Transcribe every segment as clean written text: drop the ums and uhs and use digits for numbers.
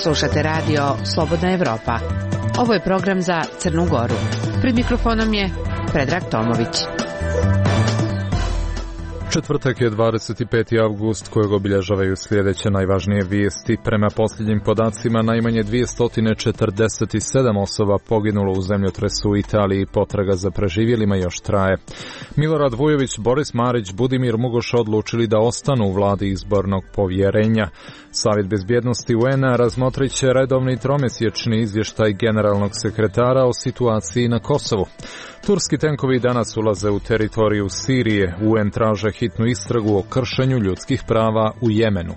Slušate radio Slobodna Evropa. Ovo je program za Crnu Goru. Pred mikrofonom je Predrag Tomović. Četvrtak je 25. avgust kojeg obilježavaju sljedeće najvažnije vijesti. Prema posljednjim podacima najmanje 247 osoba poginulo u zemljotresu u Italiji, potraga za preživjelima još traje. Milorad Vujović, Boris Marić, Budimir Mugoš odlučili da ostanu u vladi izbornog povjerenja. Savjet bezbjednosti UN-a razmotrit će redovni tromjesečni izvještaj generalnog sekretara o situaciji na Kosovu. Turski tenkovi danas ulaze u teritoriju Sirije. UN traže hitnu istragu o kršenju ljudskih prava u Jemenu.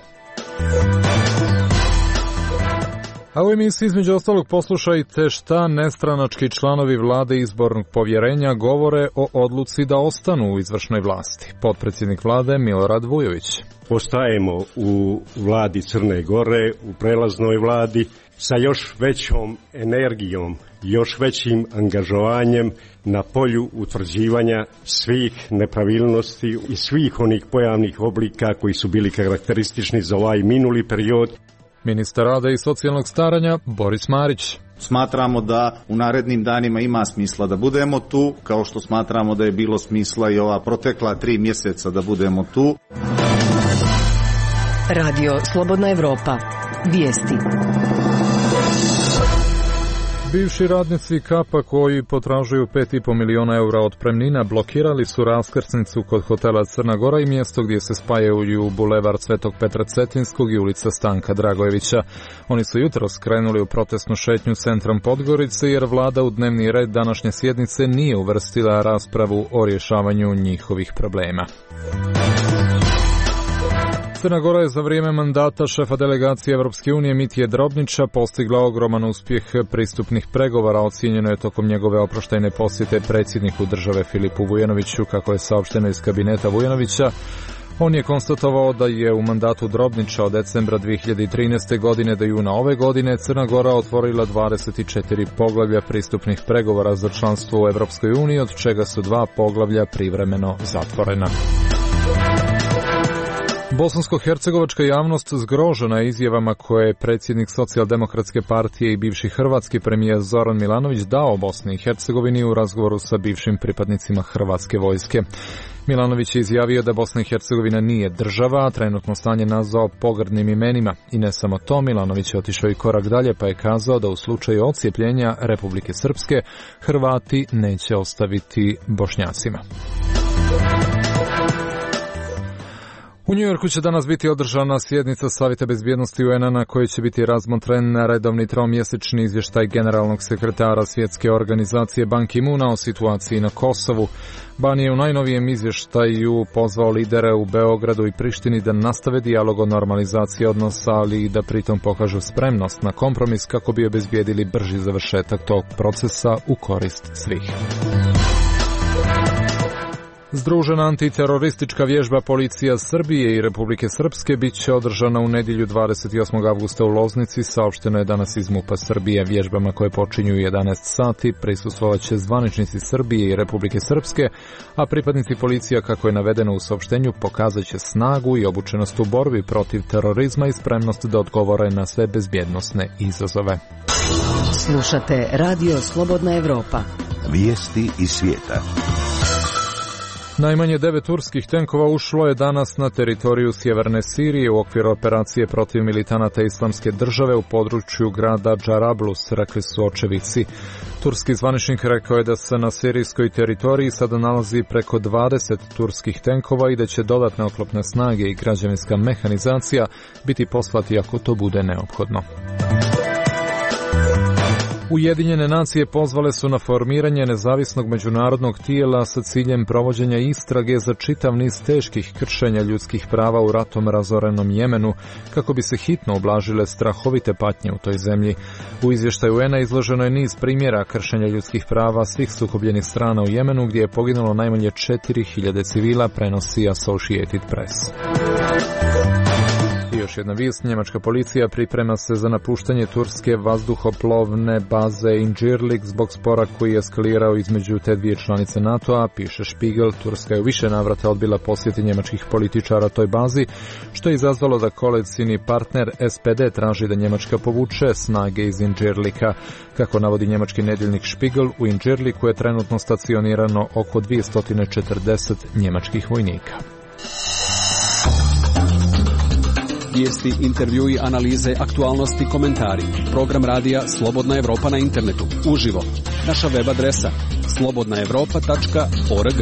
A u emisiji između ostalog poslušajte šta nestranački članovi vlade izbornog povjerenja govore o odluci da ostanu u izvršnoj vlasti. Potpredsjednik vlade Milorad Vujović. Ostajemo u vladi Crne Gore, u prelaznoj vladi, sa još većom energijom, još većim angažovanjem na polju utvrđivanja svih nepravilnosti i svih onih pojavnih oblika koji su bili karakteristični za ovaj minuli period. Ministar rada i socijalnog staranja Boris Marić. Smatramo da u narednim danima ima smisla da budemo tu, kao što smatramo da je bilo smisla i ova protekla 3 mjeseca da budemo tu. Radio Slobodna Evropa. Vijesti. Bivši radnici Kapa koji potražuju 5,5 miliona eura otpremnina blokirali su raskrsnicu kod hotela Crna Gora i mjesto gdje se spajaju bulevar Svetog Petra Cetinskog i ulica Stanka Dragojevića. Oni su jutros skrenuli u protestnu šetnju centrom Podgorice jer vlada u dnevni red današnje sjednice nije uvrstila raspravu o rješavanju njihovih problema. Crna Gora je za vrijeme mandata šefa delegacije Evropske unije Mitije Drobnića postigla ogroman uspjeh pristupnih pregovora, ocijenjeno je tokom njegove oproštajne posjete predsjedniku države Filipu Vujanoviću, kako je saopšteno iz kabineta Vujanovića. On je konstatovao da je u mandatu Drobnića od decembra 2013. godine do juna ove godine Crna Gora otvorila 24 poglavlja pristupnih pregovora za članstvo u Evropskoj uniji, od čega su 2 poglavlja privremeno zatvorena. Bosansko-hercegovačka javnost zgrožena je izjavama koje je predsjednik Socijaldemokratske partije i bivši hrvatski premijer Zoran Milanović dao Bosni i Hercegovini u razgovoru sa bivšim pripadnicima hrvatske vojske. Milanović je izjavio da Bosna i Hercegovina nije država, a trenutno stanje nazvao pogrdnim imenima. I ne samo to, Milanović je otišao i korak dalje pa je kazao da u slučaju odcijepljenja Republike Srpske Hrvati neće ostaviti Bošnjacima. U Njujorku će danas biti održana sjednica Savjeta bezbjednosti UN-a na kojoj će biti razmotren redovni tromjesečni izvještaj generalnog sekretara svjetske organizacije Ban Ki-moona o situaciji na Kosovu. Ban je u najnovijem izvještaju pozvao lidere u Beogradu i Prištini da nastave dijalog o normalizaciji odnosa, ali i da pritom pokažu spremnost na kompromis kako bi obezbijedili brži završetak tog procesa u korist svih. Združena antiteroristička vježba policija Srbije i Republike Srpske bit će održana u nedjelju 28. avgusta u Loznici, saopšteno je danas iz MUP-a Srbije. Vježbama koje počinju u 11 sati prisustvovat će zvaničnici Srbije i Republike Srpske, a pripadnici policija, kako je navedeno u saopštenju, pokazat će snagu i obučenost u borbi protiv terorizma i spremnost da odgovore na sve bezbjednosne izazove. Slušate Radio Slobodna Evropa. Vijesti iz svijeta. Najmanje 9 turskih tenkova ušlo je danas na teritoriju sjeverne Sirije u okviru operacije protiv militanata Islamske države u području grada Džarablus, rekli su očevici. Turski zvaničnik rekao je da se na sirijskoj teritoriji sada nalazi preko 20 turskih tenkova i da će dodatne oklopne snage i građevinska mehanizacija biti poslati ako to bude neophodno. Ujedinjene nacije pozvale su na formiranje nezavisnog međunarodnog tijela sa ciljem provođenja istrage za čitav niz teških kršenja ljudskih prava u ratom razorenom Jemenu, kako bi se hitno ublažile strahovite patnje u toj zemlji. U izvještaju UN-a izloženo je niz primjera kršenja ljudskih prava svih sukobljenih strana u Jemenu, gdje je poginulo najmanje 4.000 civila, prenosi Associated Press. još jedna vijest. Njemačka policija priprema se za napuštanje turske vazduhoplovne baze Incirlik zbog spora koji je eskalirao između te dvije članice NATO-a, piše Spiegel. Turska je u više navrata odbila posjeti njemačkih političara toj bazi, što je izazvalo da koalicijni partner SPD traži da Njemačka povuče snage iz Incirlika. Kako navodi njemački nedjeljnik Spiegel, u Incirliku je trenutno stacionirano oko 240 njemačkih vojnika. Vijesti, intervjui, analize, aktualnosti, komentari. Program radija Slobodna Evropa na internetu. Uživo. Naša web adresa slobodnaevropa.org.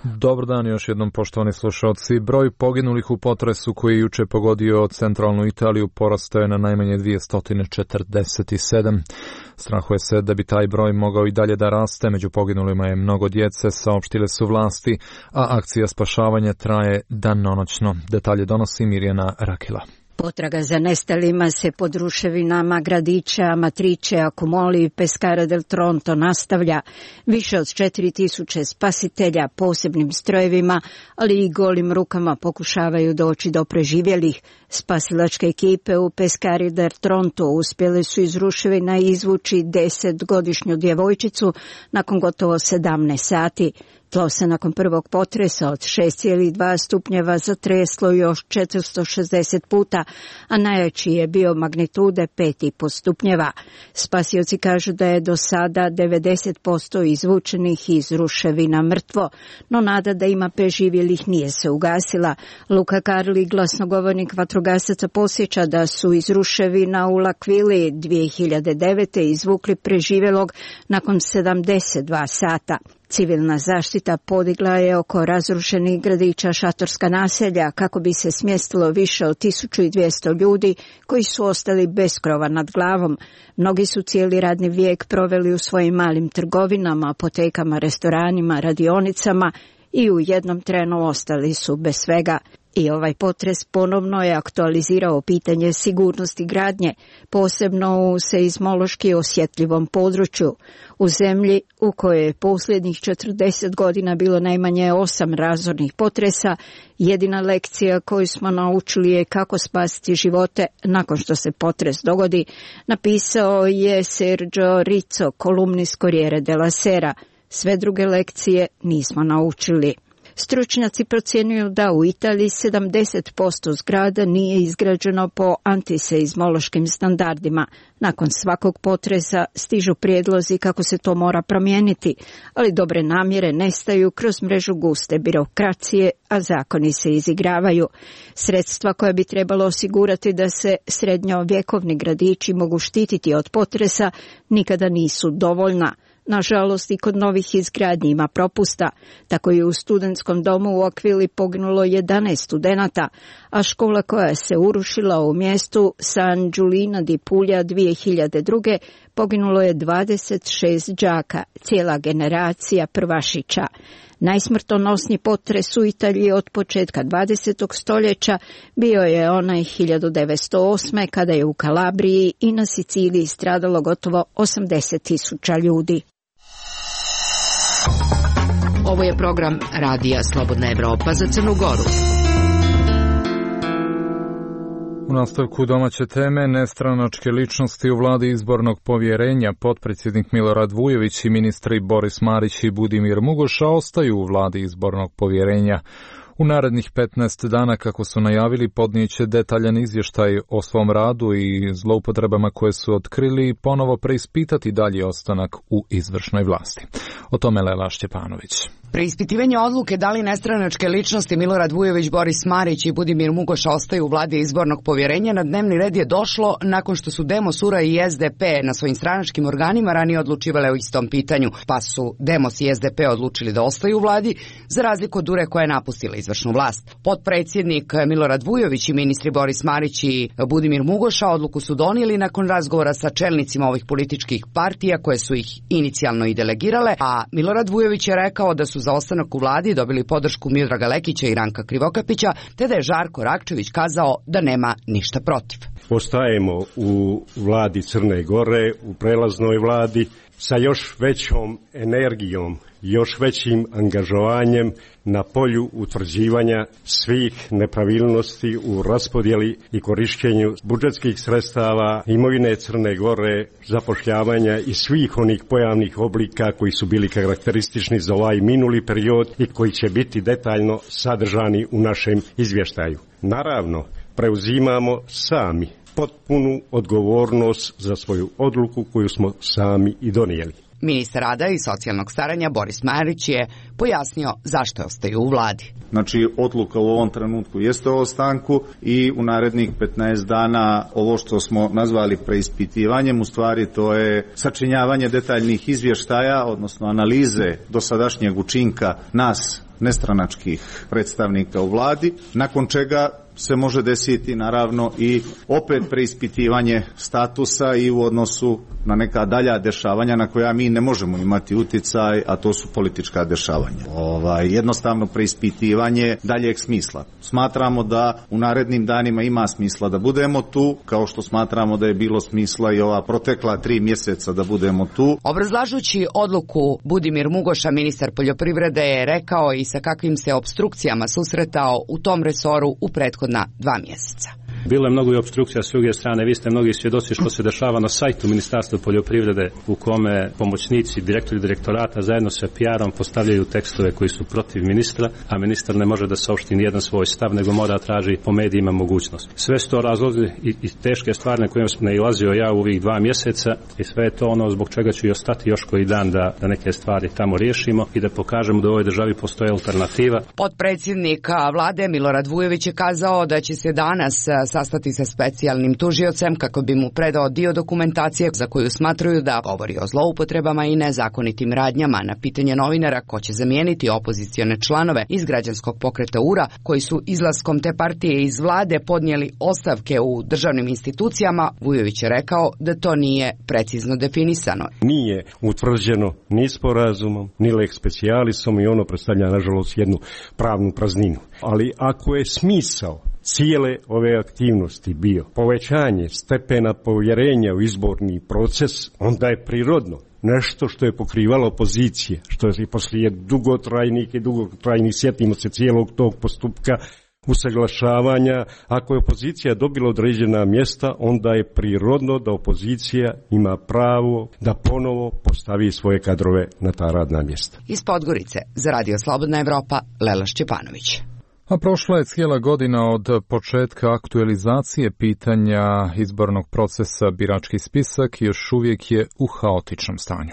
Dobar dan još jednom, poštovani slušalci. Broj poginulih u potresu koji je juče pogodio centralnu Italiju porastao je na najmanje 247. Strahuje se da bi taj broj mogao i dalje da raste. Među poginulima je mnogo djece, saopštile su vlasti, a akcija spašavanja traje danonoćno. Detalje donosi Mirjana Rakila. Potraga za nestalima se pod ruševinama gradića Amatrice, Accumoli i Pescara del Tronto nastavlja. Više od 4000 spasitelja posebnim strojevima, ali i golim rukama pokušavaju doći do preživjelih. Spasilačke ekipe u Pescari del Tronto uspjele su iz ruševina izvući 10-godišnju djevojčicu nakon gotovo 17 sati. Tlo se nakon prvog potresa od 6,2 stupnjeva zatreslo još 460 puta, a najjači je bio magnitude 5,5 stupnjeva. Spasioci kažu da je do sada 90% izvučenih iz ruševina mrtvo, no nada da ima preživjelih nije se ugasila. Luca Carli, glasnogovornik vatrogasaca, posjeća da su iz ruševina u L'Aquili 2009. izvukli preživjelog nakon 72 sata. Civilna zaštita podigla je oko razrušenih gradića šatorska naselja kako bi se smjestilo više od 1200 ljudi koji su ostali bez krova nad glavom. Mnogi su cijeli radni vijek proveli u svojim malim trgovinama, apotekama, restoranima, radionicama i u jednom trenu ostali su bez svega. I ovaj potres ponovno je aktualizirao pitanje sigurnosti gradnje, posebno u seizmološki osjetljivom području. U zemlji u kojoj je posljednjih 40 godina bilo najmanje 8 razornih potresa, jedina lekcija koju smo naučili je kako spasiti živote nakon što se potres dogodi, napisao je Sergio Rizzo, kolumnist Corriere della Sera. Sve druge lekcije nismo naučili. Stručnjaci procjenjuju da u Italiji 70% zgrada nije izgrađeno po antiseizmološkim standardima. Nakon svakog potresa stižu prijedlozi kako se to mora promijeniti, ali dobre namjere nestaju kroz mrežu guste birokracije, a zakoni se izigravaju. Sredstva koja bi trebalo osigurati da se srednjovjekovni gradići mogu štititi od potresa nikada nisu dovoljna. Nažalost, i kod novih izgradnji ima propusta. Tako je u studentskom domu u Aquili poginulo 11 studenata, a škola koja se urušila u mjestu San Giulino di Puglia 2002. poginulo je 26 đaka, cijela generacija prvašića. Najsmrtonosniji potres u Italiji od početka 20. stoljeća bio je onaj 1908. kada je u Kalabriji i na Siciliji stradalo gotovo 80.000 ljudi. Ovo je program radija Slobodna Evropa za Crnu Goru. U nastavku domaće teme, nestranačke ličnosti u vladi izbornog povjerenja, potpredsjednik Milorad Vujović i ministri Boris Marić i Budimir Mugoša ostaju u vladi izbornog povjerenja. U narednih 15 dana, kako su najavili, podnijeće detaljan izvještaj o svom radu i zloupotrebama koje su otkrili i ponovo preispitati dalji ostanak u izvršnoj vlasti. O tome Lela Šćepanović. Preispitivanje odluke da li nestranačke ličnosti Milorad Vujović, Boris Marić i Budimir Mugoša ostaju u vladi izbornog povjerenja na dnevni red je došlo nakon što su Demos, URA i SDP na svojim stranačkim organima ranije odlučivale o istom pitanju, pa su Demos i SDP odlučili da ostaju u vladi, za razliku od URA koja je napustila izvršnu vlast. Potpredsjednik Milorad Vujović i ministri Boris Marić i Budimir Mugoša odluku su donijeli nakon razgovora sa čelnicima ovih političkih partija koje su ih inicijalno i delegirale, a Milorad Vujović je rekao da su za ostanak u vladi dobili podršku Miodraga Lekića i Ranka Krivokapića, te da je Žarko Rakčević kazao da nema ništa protiv. ostajemo u vladi Crne Gore, u prelaznoj vladi, sa još većom energijom, još većim angažovanjem na polju utvrđivanja svih nepravilnosti u raspodjeli i korištenju budžetskih sredstava, imovine Crne Gore, zapošljavanja i svih onih pojavnih oblika koji su bili karakteristični za ovaj minuli period i koji će biti detaljno sadržani u našem izvještaju. Naravno, preuzimamo sami potpunu odgovornost za svoju odluku koju smo sami i donijeli. Ministar rada i socijalnog staranja Boris Marić je pojasnio zašto ostaju u vladi. Znači, odluka u ovom trenutku jeste o ostanku i u narednih 15 dana ovo što smo nazvali preispitivanjem, u stvari to je sačinjavanje detaljnih izvještaja, odnosno analize dosadašnjeg učinka nas, nestranačkih predstavnika u vladi, nakon čega se može desiti naravno i opet preispitivanje statusa i u odnosu na neka dalja dešavanja na koja mi ne možemo imati uticaj, a to su politička dešavanja. Jednostavno preispitivanje daljeg smisla. Smatramo da u narednim danima ima smisla da budemo tu, kao što smatramo da je bilo smisla i ova protekla 3 mjeseca da budemo tu. Obrazlažući odluku, Budimir Mugoša, ministar poljoprivrede, je rekao i sa kakvim se opstrukcijama susretao u tom resoru u prethodna 2 mjeseca. Bilo je mnogo i opstrukcija s druge strane, vi ste mnogi svjedoci što se dešava na sajtu Ministarstva poljoprivrede u kome pomoćnici, direktori direktorata zajedno sa PR-om postavljaju tekstove koji su protiv ministra, a ministar ne može da saopšti nijedan svoj stav, nego mora traži po medijima mogućnost. Sve su to razlozi i teške stvari na koje sam nailazio ja u ovih 2 mjeseca i sve je to ono zbog čega ću i ostati još koji dan da neke stvari tamo riješimo i da pokažemo da u ovoj državi postoji alternativa. Potpredsjednik vlade Milorad Vujović je kazao da će se danas sastati sa specijalnim tužiocem kako bi mu predao dio dokumentacije za koju smatruju da govori o zloupotrebama i nezakonitim radnjama. Na pitanje novinara ko će zamijeniti opozicione članove iz građanskog pokreta URA koji su izlaskom te partije iz vlade podnijeli ostavke u državnim institucijama, Vujović je rekao da to nije precizno definisano. Nije utvrđeno ni sporazumom, ni lex specialisom i ono predstavlja nažalost jednu pravnu prazninu. Ali ako je smisao cijele ove aktivnosti bio povećanje stepena povjerenja u izborni proces, onda je prirodno nešto što je pokrivalo opozicije, što je poslije dugotrajnih, sjetimo se cijelog tog postupka usaglašavanja. Ako je opozicija dobila određena mjesta, onda je prirodno da opozicija ima pravo da ponovo postavi svoje kadrove na ta radna mjesta. Iz Podgorice za Radio Slobodna Evropa, Lela Šćepanović. A prošla je cijela godina od početka aktualizacije pitanja izbornog procesa. Birački spisak još uvijek je u haotičnom stanju.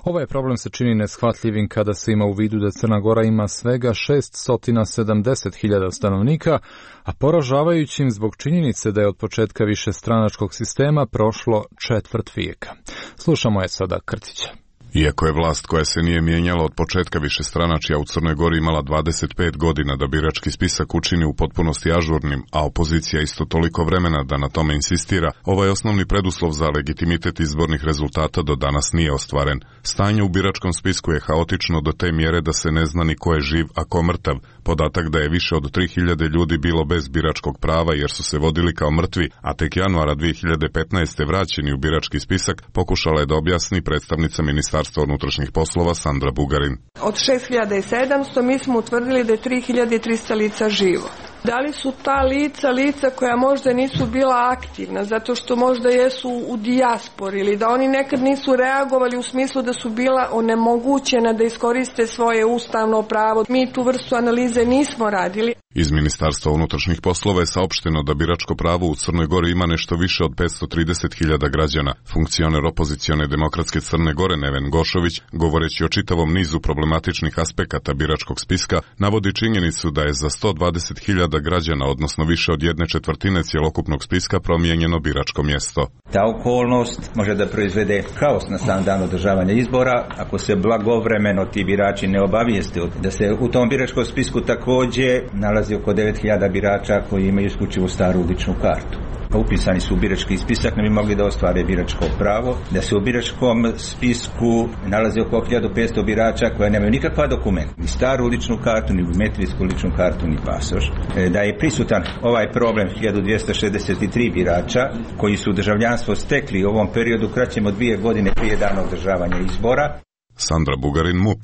Ovaj problem se čini neshvatljivim kada se ima u vidu da Crna Gora ima svega 670.000 stanovnika, a poražavajućim zbog činjenice da je od početka višestranačkog sistema prošlo 1/4 vijeka. Slušamo je sada Krcića. Iako je vlast koja se nije mijenjala od početka višestranačja u Crnoj Gori imala 25 godina da birački spisak učini u potpunosti ažurnim, a opozicija isto toliko vremena da na tome insistira, ovaj osnovni preduslov za legitimitet izbornih rezultata do danas nije ostvaren. Stanje u biračkom spisku je haotično do te mjere da se ne zna ni ko je živ, a ko mrtav. Podatak da je više od 3000 ljudi bilo bez biračkog prava jer su se vodili kao mrtvi, a tek januara 2015. vraćeni u birački spisak, pokušala je da objasni predstavnica Ministarstva unutrašnjih poslova Sandra Bugarin. Od 6700 mi smo utvrdili da je 3300 lica živo. Da li su ta lica koja možda nisu bila aktivna, zato što možda jesu u dijaspori ili da oni nekad nisu reagovali u smislu da su bila onemogućena da iskoriste svoje ustavno pravo. Mi tu vrstu analize nismo radili. Iz Ministarstva unutrašnjih poslova je saopšteno da biračko pravo u Crnoj Gori ima nešto više od 530.000 građana. Funkcioner opozicione demokratske Crne Gore Neven Gošović, govoreći o čitavom nizu problematičnih aspekata biračkog spiska, navodi činjenicu da je za 120.000 građana, odnosno više od 1/4 cjelokupnog spiska, promijenjeno biračko mjesto. Ta okolnost može da proizvede kaos na sam dan održavanja izbora ako se blagovremeno ti birači ne obavijeste da se u tom biračkom spisku također nalazi nalazi oko 9000 birača koji imaju isključivo staru ličnu kartu. Upisani su u birački spisak, ne bi mogli da ostvare biračko pravo, da se u biračkom spisku nalazi oko 1500 birača koja nemaju nikakva dokumenta, ni staru ličnu kartu, ni biometrijsku ličnu kartu, ni pasoš. Da je prisutan ovaj problem 1263 birača koji su državljanstvo stekli u ovom periodu kraćem od 2 godine prije dana održavanja izbora. Sandra Bugarin, MUP.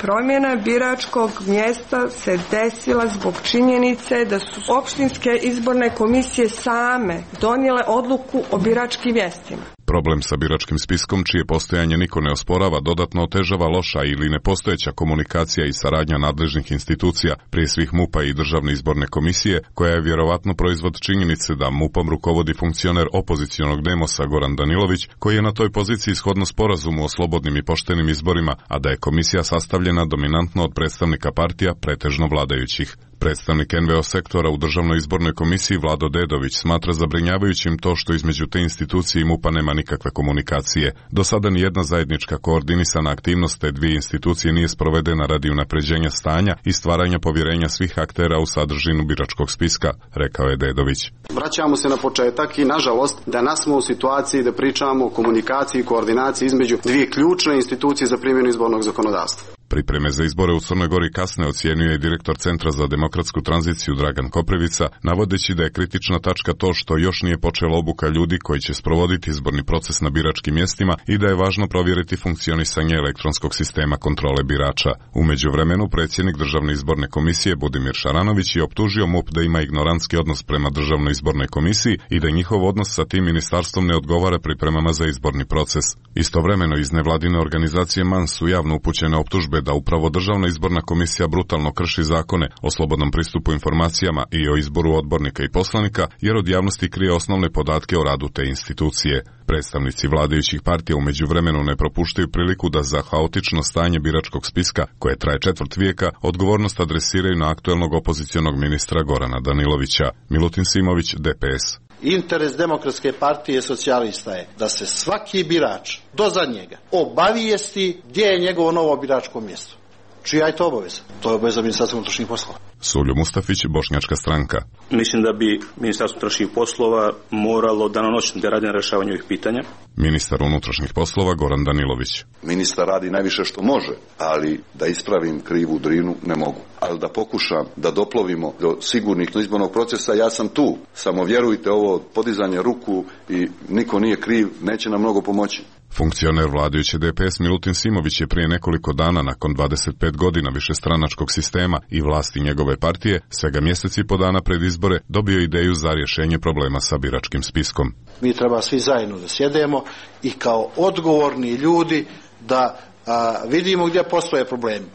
Promjena biračkog mjesta se desila zbog činjenice da su opštinske izborne komisije same donijele odluku o biračkim mjestima. Problem sa biračkim spiskom, čije postojanje niko ne osporava, dodatno otežava loša ili nepostojeća komunikacija i saradnja nadležnih institucija, prije svih MUP-a i Državne izborne komisije, koja je vjerovatno proizvod činjenice da MUP-om rukovodi funkcioner opozicionog demosa Goran Danilović, koji je na toj poziciji shodno sporazumu o slobodnim i poštenim izborima, a da je komisija sastavljena dominantno od predstavnika partija, pretežno vladajućih. Predstavnik NVO sektora u Državnoj izbornoj komisiji Vlado Dedović smatra zabrinjavajućim to što između te institucije i MUP-a nema nikakve komunikacije. Do sada ni jedna zajednička koordinisana aktivnost te dvije institucije nije sprovedena radi unapređenja stanja i stvaranja povjerenja svih aktera u sadržinu biračkog spiska, rekao je Dedović. Vraćamo se na početak i nažalost danas smo u situaciji da pričamo o komunikaciji i koordinaciji između dvije ključne institucije za primjenu izbornog zakonodavstva. Pripreme za izbore u Crnoj Gori kasne, ocjenjuje i direktor Centra za demokratsku tranziciju Dragan Koprivica, navodeći da je kritična tačka to što još nije počela obuka ljudi koji će sprovoditi izborni proces na biračkim mjestima i da je važno provjeriti funkcionisanje elektronskog sistema kontrole birača. U međuvremenu predsjednik Državne izborne komisije Budimir Šaranović je optužio MUP da ima ignorantski odnos prema Državnoj izbornoj komisiji i da njihov odnos sa tim ministarstvom ne odgovara pripremama za izborni proces. Istovremeno iz nevladine organizacije MANS su javno upućene optužbe da upravo Državna izborna komisija brutalno krši zakone o slobodnom pristupu informacijama i o izboru odbornika i poslanika, jer od javnosti krije osnovne podatke o radu te institucije. Predstavnici vladajućih partija u međuvremenu ne propuštaju priliku da za haotično stanje biračkog spiska, koje traje 1/4 vijeka, odgovornost adresiraju na aktuelnog opozicionog ministra Gorana Danilovića. Milutin Simović, DPS. Interes Demokratske partije socijalista je da se svaki birač do zadnjega obavijesti gdje je njegovo novo biračko mjesto. Čija je to obaveza? To je obaveza Ministarstva unutrašnjih poslova. Suljo Mustafić, Bošnjačka stranka. Mislim da bi Ministarstvo unutrašnjih poslova moralo danonoćno da radi na rješavanju ovih pitanja. Ministar unutrašnjih poslova Goran Danilović. Ministar radi najviše što može, ali da ispravim krivu drinu ne mogu. Ali da pokušam da doplovimo do sigurnih izbornog procesa, ja sam tu. Samo vjerujte, ovo podizanje ruku i niko nije kriv, neće nam mnogo pomoći. Funkcioner vladajuće DPS Milutin Simović je prije nekoliko dana nakon 25 godina višestranačkog sistema i vlasti njegove partije, svega mjeseci po dana pred izbore, dobio ideju za rješenje problema sa biračkim spiskom. Mi treba svi zajedno da sjedemo i kao odgovorni ljudi da vidimo gdje postoje problemi.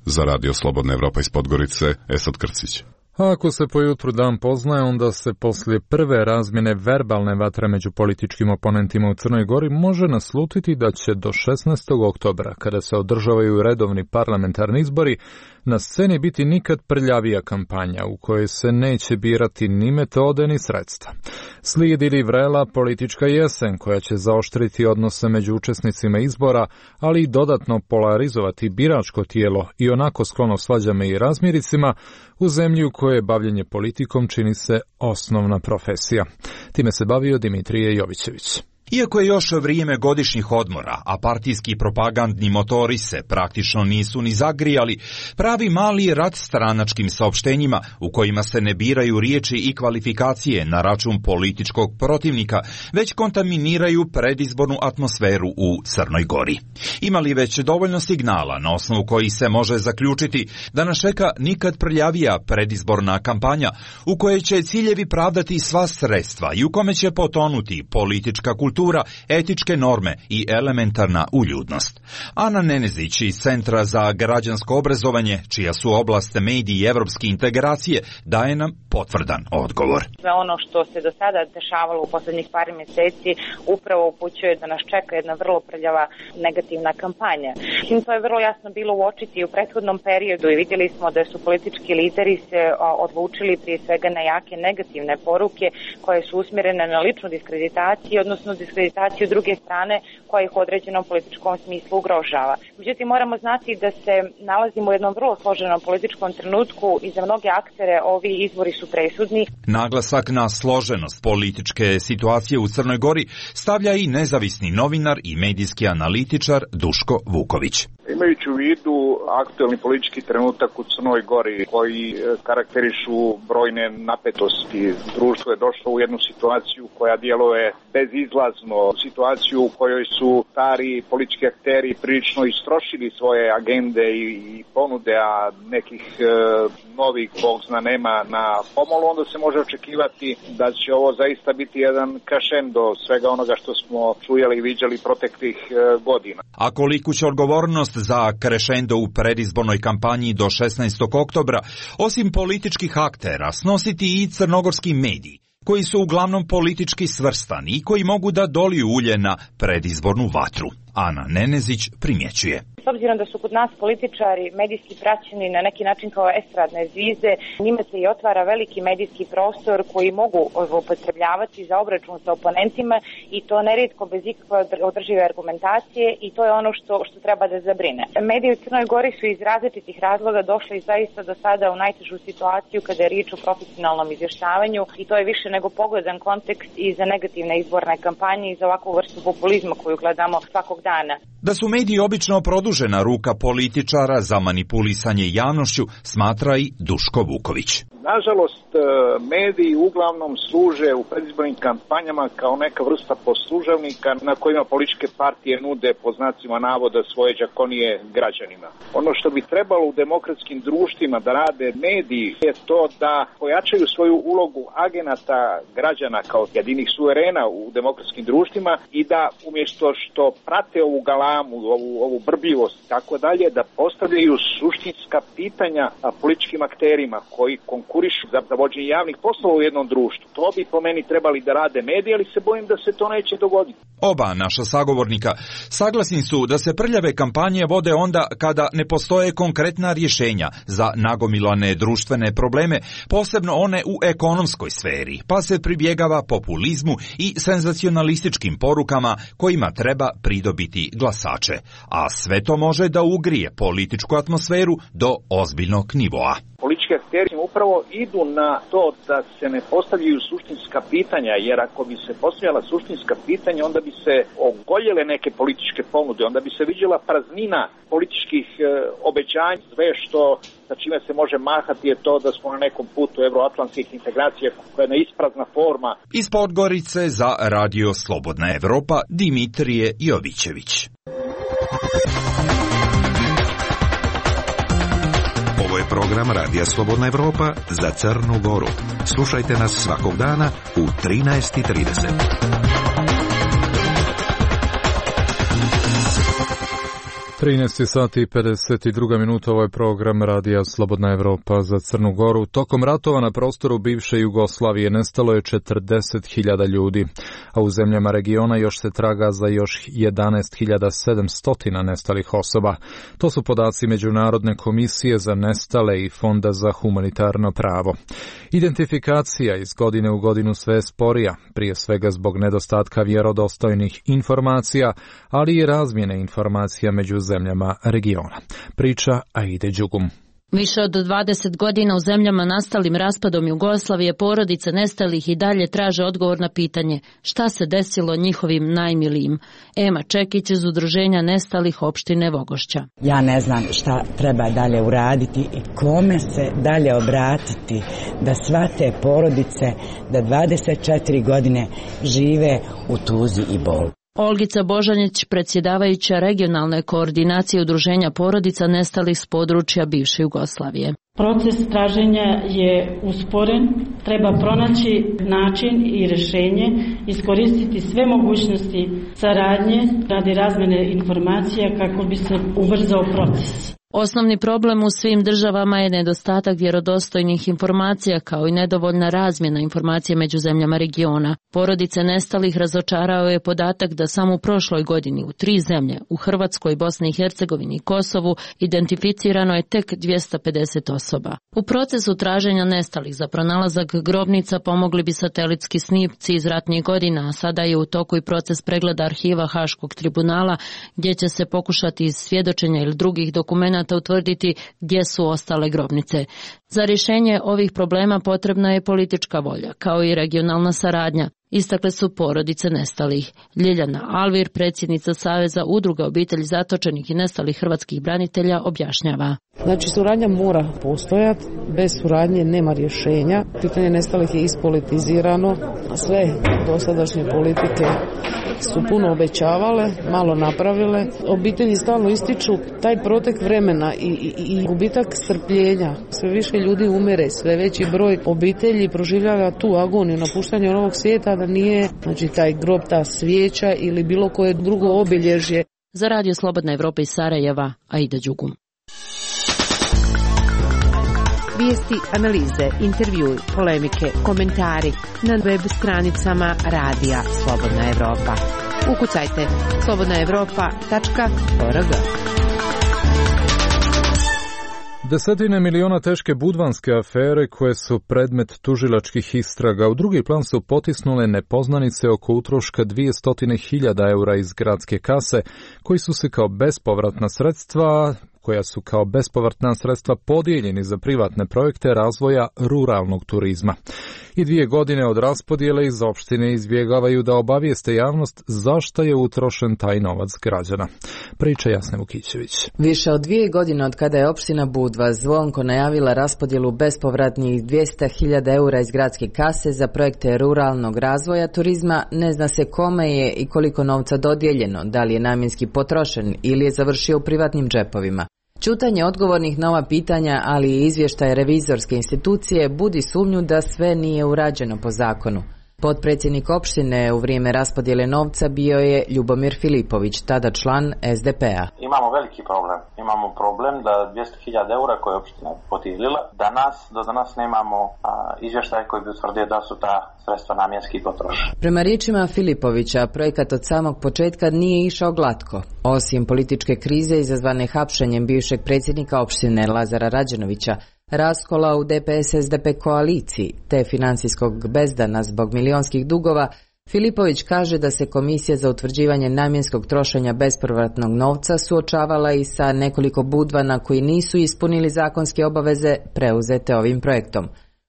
Za Radio Slobodna Evropa iz Podgorice, Esad Krcić. A ako se pojutru dan poznaje, onda se poslije prve razmjene verbalne vatre među političkim oponentima u Crnoj Gori može naslutiti da će do 16. oktobra, kada se održavaju redovni parlamentarni izbori, na sceni biti nikad prljavija kampanja u kojoj se neće birati ni metode ni sredstva. Slijedi li vrela politička jesen koja će zaoštriti odnose među učesnicima izbora, ali i dodatno polarizovati biračko tijelo i onako sklono svađama i razmiricima u zemlji u kojoj bavljenje politikom čini se osnovna profesija. Time se bavio Dimitrije Jovićević. Iako je još vrijeme godišnjih odmora, a partijski propagandni motori se praktično nisu ni zagrijali, pravi mali rat stranačkim saopštenjima u kojima se ne biraju riječi i kvalifikacije na račun političkog protivnika, već kontaminiraju predizbornu atmosferu u Crnoj Gori. Ima li već dovoljno signala na osnovu koji se može zaključiti da nas čeka nikad prljavija predizborna kampanja u kojoj će ciljevi pravdati sva sredstva i u kome će potonuti politička kultura, etičke norme i elementarna uljudnost. Ana Nenezić iz Centra za građansko obrazovanje, čija su oblast mediji i evropske integracije, daje nam potvrdan odgovor. Sve ono što se do sada dešavalo u posljednjih par mjeseci upravo upućuje da nas čeka jedna vrlo prljava negativna kampanja. To je vrlo jasno bilo uočiti u prethodnom periodu i vidjeli smo da su politički lideri se odlučili prije svega na jake negativne poruke koje su usmjerene na ličnu diskreditaciju, odnosno diskreditaciju diskreditaciju druge strane koja ih u određenom političkom smislu ugrožava. Međutim, moramo znati da se nalazimo u jednom vrlo složenom političkom trenutku i za mnoge aktere ovi izbori su presudni. Naglasak na složenost političke situacije u Crnoj Gori stavlja i nezavisni novinar i medijski analitičar Duško Vuković. Imajući u vidu aktuelni politički trenutak u Crnoj Gori koji karakterišu brojne napetosti, društvo je došlo u jednu situaciju koja djeluje bezizlazno, situaciju u kojoj su stari politički akteri prilično istrošili svoje agende i ponude, a nekih novih, Bog zna, nema na pomolu, onda se može očekivati da će ovo zaista biti jedan crescendo svega onoga što smo čujali i viđali proteklih godina. A koliku će odgovornost za crescendo u predizbornoj kampanji do 16. oktobra, osim političkih aktera, snositi i crnogorski mediji, koji su uglavnom politički svrstani i koji mogu da doliju ulje na predizbornu vatru. Ana Nenezić primjećuje. S obzirom da su kod nas političari medijski praćeni na neki način kao estradne zvizde, njima se i otvara veliki medijski prostor koji mogu upotrebljavati za obračun sa oponentima i to nerijetko bez ikakve održive argumentacije i to je ono što treba da zabrine. Mediji u Crnoj Gori su iz različitih razloga došli zaista do sada u najtežu situaciju kada je riječ o profesionalnom izvještavanju i to je više nego pogodan kontekst i za negativne izborne kampanje i za ovakvu vrstu populizma koju gledamo svakog dana. Da su mediji obično produžena ruka političara za manipulisanje javnošću, smatra i Duško Vuković. Nažalost, mediji uglavnom služe u predizbornim kampanjama kao neka vrsta poslužavnika na kojima političke partije nude po znacima navoda svoje đakonije građanima. Ono što bi trebalo u demokratskim društvima da rade mediji je to da pojačaju svoju ulogu agenata građana kao jedinih suverena u demokratskim društvima i da umjesto što prate ovu galamu, ovu brbljivost i tako dalje, da postavljaju suštinska pitanja političkim akterima koji konkurišu za vođenje javnih poslova u jednom društvu. To bi po meni trebali da rade mediji, ali se bojim da se to neće dogoditi. Oba naša sagovornika saglasni su da se prljave kampanje vode onda kada ne postoje konkretna rješenja za nagomilane društvene probleme, posebno one u ekonomskoj sferi, pa se pribjegava populizmu i senzacionalističkim porukama kojima treba pridobiti glasače, a sve to može da ugrije političku atmosferu do ozbiljnog nivoa. Politički akteri upravo idu na to da se ne postavljaju suštinska pitanja, jer ako bi se postavljala suštinska pitanja, onda bi se ogoljele neke političke ponude, onda bi se viđala praznina političkih obećanja. Sve što sa čime se može mahati je to da smo na nekom putu evroatlantskih integracija koja je jedna isprazna forma. Iz Podgorice za Radio Slobodna Evropa Dimitrije Jovićević. Ovo je program Radija Slobodna Evropa za Crnu Goru. Slušajte nas svakog dana u 13:30. 13 sati i 52 minuta, ovo je program Radija Slobodna Evropa za Crnu Goru. Tokom ratova na prostoru bivše Jugoslavije nestalo je 40.000 ljudi, a u zemljama regiona još se traga za još 11.700 nestalih osoba. To su podaci Međunarodne komisije za nestale i Fonda za humanitarno pravo. Identifikacija iz godine u godinu sve je sporija, prije svega zbog nedostatka vjerodostojnih informacija, ali i razmjene informacija među zemljama regiona. Priča Aide Đugum. Više od 20 godina u zemljama nastalim raspadom Jugoslavije porodice nestalih i dalje traže odgovor na pitanje šta se desilo njihovim najmilijim. Ema Čekić iz Udruženja nestalih opštine Vogošća. Ja ne znam šta treba dalje uraditi i kome se dalje obratiti da sva te porodice da 24 godine žive u tuzi i bolu. Olgica Božanić, predsjedavajuća regionalne koordinacije Udruženja porodica nestalih s područja bivše Jugoslavije. Proces traženja je usporen, treba pronaći način i rješenje, iskoristiti sve mogućnosti saradnje radi razmjene informacija kako bi se ubrzao proces. Osnovni problem u svim državama je nedostatak vjerodostojnih informacija kao i nedovoljna razmjena informacija među zemljama regiona. Porodice nestalih razočarao je podatak da samo u prošloj godini u 3 zemlje, u Hrvatskoj, Bosni i Hercegovini i Kosovu, identificirano je tek 250 osoba. U procesu traženja nestalih za pronalazak grobnica pomogli bi satelitski snimci iz ratnih godina, a sada je u toku i proces pregleda arhiva Haškog tribunala, gdje će se pokušati iz svjedočenja ili drugih dokumenata utvrditi gdje su ostale grobnice. Za rješenje ovih problema potrebna je politička volja, kao i regionalna saradnja, istakle su porodice nestalih. Ljiljana Alvir, predsjednica Saveza udruga obitelji zatočenih i nestalih hrvatskih branitelja, objašnjava. Znači, suradnja mora postojati, bez suradnje nema rješenja. Pitanje nestalih je ispolitizirano, sve dosadašnje politike su puno obećavale, malo napravile. Obitelji stalno ističu taj protek vremena i gubitak strpljenja. Sve više ljudi umire, sve veći broj obitelji proživljava tu agoniju napuštanja ovog svijeta, da nije, znači, taj grob, ta svijeća ili bilo koje drugo obilježje. Za Radio Slobodna Evropa iz Sarajeva, Aida Đugum. Vijesti, analize, intervjui, polemike, komentari na web stranicama Radija Slobodna Evropa. Ukucajte slobodnaevropa.org. Desetine miliona teške budvanske afere koje su predmet tužilačkih istraga u drugi plan su potisnule nepoznanice oko utroška 200.000 eura iz gradske kase, koji su se kao bespovratna sredstva podijeljeni za privatne projekte razvoja ruralnog turizma. I 2 godine od raspodjele iz opštine izbjegavaju da obavijeste javnost zašto je utrošen taj novac građana. Priča Jasne Vukićević. Više od 2 godine od kada je opština Budva zvonko najavila raspodjelu bespovratnih 200.000 eura iz gradske kase za projekte ruralnog razvoja turizma, ne zna se kome je i koliko novca dodijeljeno, da li je namjenski potrošen ili je završio u privatnim džepovima. Ćutanje odgovornih na ova pitanja, ali i izvještaj revizorske institucije budi sumnju da sve nije urađeno po zakonu. Potpredsjednik opštine u vrijeme raspodjele novca bio je Ljubomir Filipović, tada član SDP-a. Imamo veliki problem. Imamo problem da 200.000 eura koje je opština podijelila, do danas nemamo izvještaj koji bi utvrdio da su ta sredstva namjenski potrošena. Prema riječima Filipovića, projekat od samog početka nije išao glatko. Osim političke krize izazvane hapšenjem bivšeg predsjednika opštine Lazara Rađenovića, raskola u DPS-SDP koaliciji te financijskog bezdana zbog milionskih dugova, Filipović kaže da se Komisija za utvrđivanje namjenskog trošenja bespovratnog novca suočavala i sa nekoliko budvana koji nisu ispunili zakonske obaveze preuzete ovim projektom.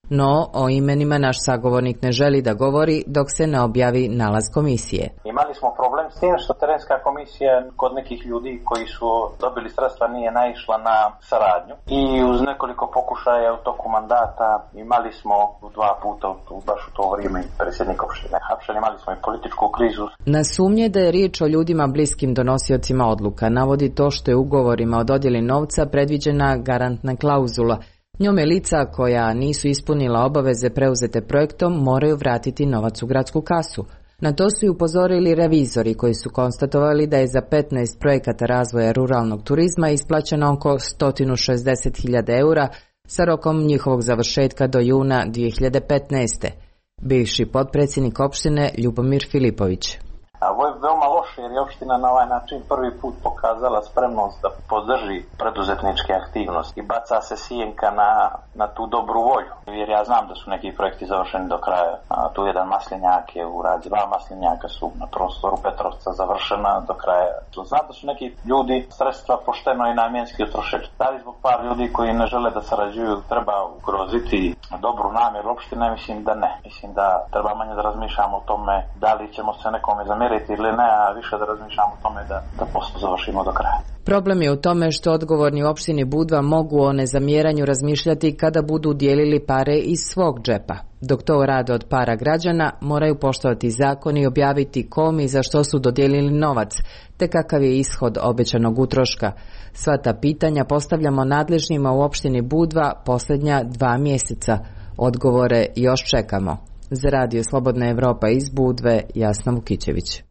No, o imenima naš sagovornik ne želi da govori dok se ne objavi nalaz komisije. Imali smo problem s tim što terenska komisija kod nekih ljudi koji su dobili sredstva nije naišla na saradnju i uz nekoliko pokušaja u toku mandata imali smo 2 puta baš u to vrijeme predsjednik opštine hapšen, imali smo i političku krizu. Na sumnje da je riječ o ljudima bliskim donosiocima odluka navodi to što je ugovorima o dodjeli novca predviđena garantna klauzula. Njome lica koja nisu ispunila obaveze preuzete projektom moraju vratiti novac u gradsku kasu. Na to su i upozorili revizori koji su konstatovali da je za 15 projekata razvoja ruralnog turizma isplaćeno oko 160.000 eura sa rokom njihovog završetka do juna 2015. Bivši potpredsjednik opštine Ljubomir Filipović. Ovo je veoma loše jer je opština na ovaj način prvi put pokazala spremnost da podrži preduzetničke aktivnosti i baca se sjenka na tu dobru volju. Jer ja znam da su neki projekti završeni do kraja. Tu jedan maslinjak je urađen, 2 maslinjaka su na prostoru Petrovca završena do kraja. Znam da su neki ljudi sredstva pošteno i namjenski utrošili. Da li zbog par ljudi koji ne žele da sarađuju treba ugroziti dobru namjeru opštine? Mislim da ne. Mislim da treba manje da razmišljamo o tome da li ćemo se nekome zamjeriti ili ne, a više da razmišljamo o tome da posao završimo do kraja. Problem je u tome što odgovorni u opštini Budva mogu o nezamjeranju razmišljati kada budu dijelili pare iz svog džepa. Dok to rade od para građana, moraju poštovati zakon i objaviti kom i za što su dodijelili novac, te kakav je ishod obećanog utroška. Sva ta pitanja postavljamo nadležnima u opštini Budva posljednja 2 mjeseca. Odgovore još čekamo. Za Radio Slobodna Evropa iz Budve, Jasna Vukićević.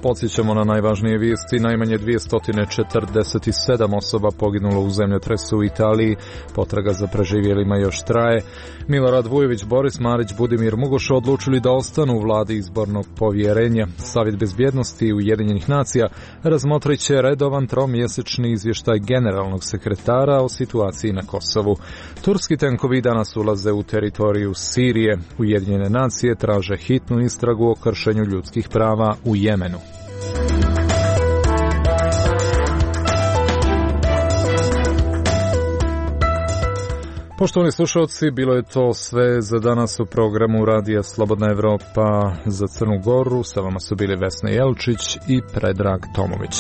Podsjećamo na najvažnije vijesti. Najmanje 247 osoba poginulo u zemljotresu u Italiji. Potraga za preživjelima još traje. Milorad Vujović, Boris Marić, Budimir Mugoš odlučili da ostanu u vladi izbornog povjerenja. Savjet bezbjednosti Ujedinjenih nacija razmotrit će redovan tromjesečni izvještaj generalnog sekretara o situaciji na Kosovu. Turski tenkovi danas ulaze u teritoriju Sirije. Ujedinjene nacije traže hitnu istragu o kršenju ljudskih prava u Jemenu. Poštovani slušalci, bilo je to sve za danas u programu Radija Slobodna Evropa za Crnu Goru. Sa vama su bili Vesna Jelčić i Predrag Tomović.